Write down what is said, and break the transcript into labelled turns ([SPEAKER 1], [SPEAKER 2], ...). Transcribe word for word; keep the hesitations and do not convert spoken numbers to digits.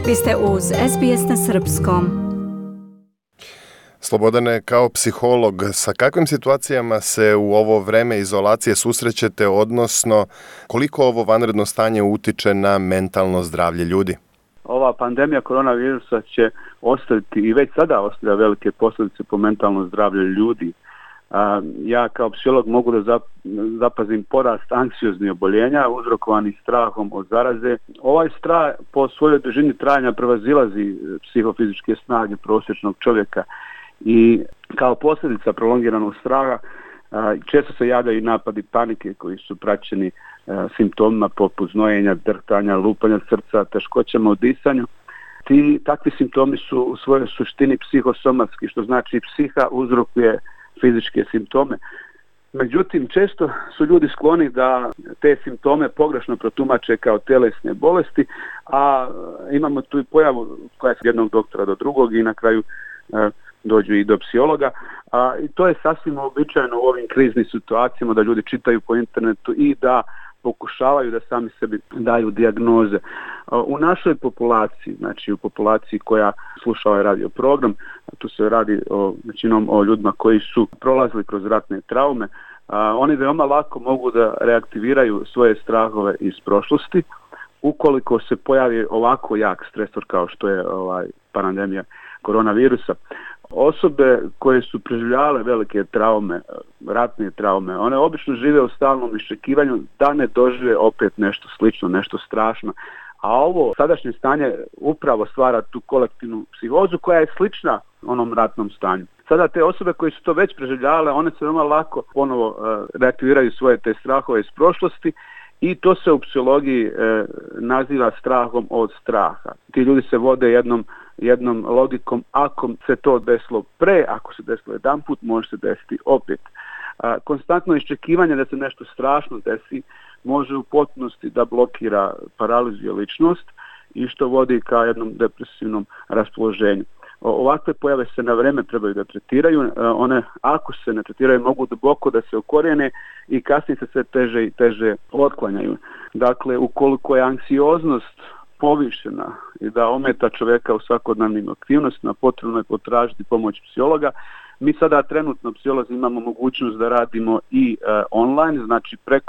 [SPEAKER 1] Vi ste uz S B S na srpskom.
[SPEAKER 2] Slobodane, kao psiholog, sa kakvim situacijama se u ovo vreme izolacije susrećete, odnosno koliko ovo vanredno stanje utiče na mentalno zdravlje ljudi?
[SPEAKER 3] Ova pandemija koronavirusa će ostaviti i već sada ostavlja velike posljedice po mentalno zdravlje ljudi. A, ja kao psiholog mogu da zapazim porast anksioznih oboljenja uzrokovanih strahom od zaraze. Ovaj strah po svojoj dužini trajanja prevazilazi psihofizičke snage prosječnog čovjeka i kao posljedica prolongiranog straha a, često se javljaju napadi panike koji su praćeni a, simptomima poput znojenja, drhtanja, lupanja srca, teškoćama u disanju. Ti takvi simptomi su u svojoj suštini psihosomatski, što znači psiha uzrokuje fizičke simptome. Međutim, često su ljudi skloni da te simptome pogrešno protumače kao tjelesne bolesti, a imamo tu i pojavu koja je s jednog doktora do drugog i na kraju e, dođu i do psihologa. A, i to je sasvim uobičajeno u ovim kriznim situacijama da ljudi čitaju po internetu i da pokušavaju da sami sebi daju dijagnoze. U našoj populaciji, znači u populaciji koja sluša ovaj radio program, tu se radi o, većinom o ljudima koji su prolazili kroz ratne traume, a, oni veoma lako mogu da reaktiviraju svoje strahove iz prošlosti ukoliko se pojavi ovako jak stresor kao što je ovaj pandemija koronavirusa. Osobe koje su preživljavale velike traume, ratne traume, one obično žive u stalnom iščekivanju da ne dožive opet nešto slično, nešto strašno. A ovo sadašnje stanje upravo stvara tu kolektivnu psihozu koja je slična onom ratnom stanju. Sada te osobe koje su to već preživljavale, one se veoma lako ponovo uh, reaktiviraju svoje te strahove iz prošlosti i to se u psihologiji uh, naziva strahom od straha. Ti ljudi se vode jednom jednom logikom, ako se to desilo pre, ako se desilo jedan put, može se desiti opet. A, konstantno iščekivanje da se nešto strašno desi može u potpunosti da blokira, paralizuje ličnost i što vodi ka jednom depresivnom raspoloženju. O, ovakve pojave se na vreme trebaju da tretiraju, a, one ako se ne tretiraju mogu duboko da se okorijene i kasnije se sve teže i teže otklanjaju. Dakle, ukoliko je anksioznost povišena i da ometa čovjeka u svakodnevnim aktivnostima, potrebno je potražiti pomoć psihologa. Mi sada trenutno psiholozi imamo mogućnost da radimo i e, online, znači preko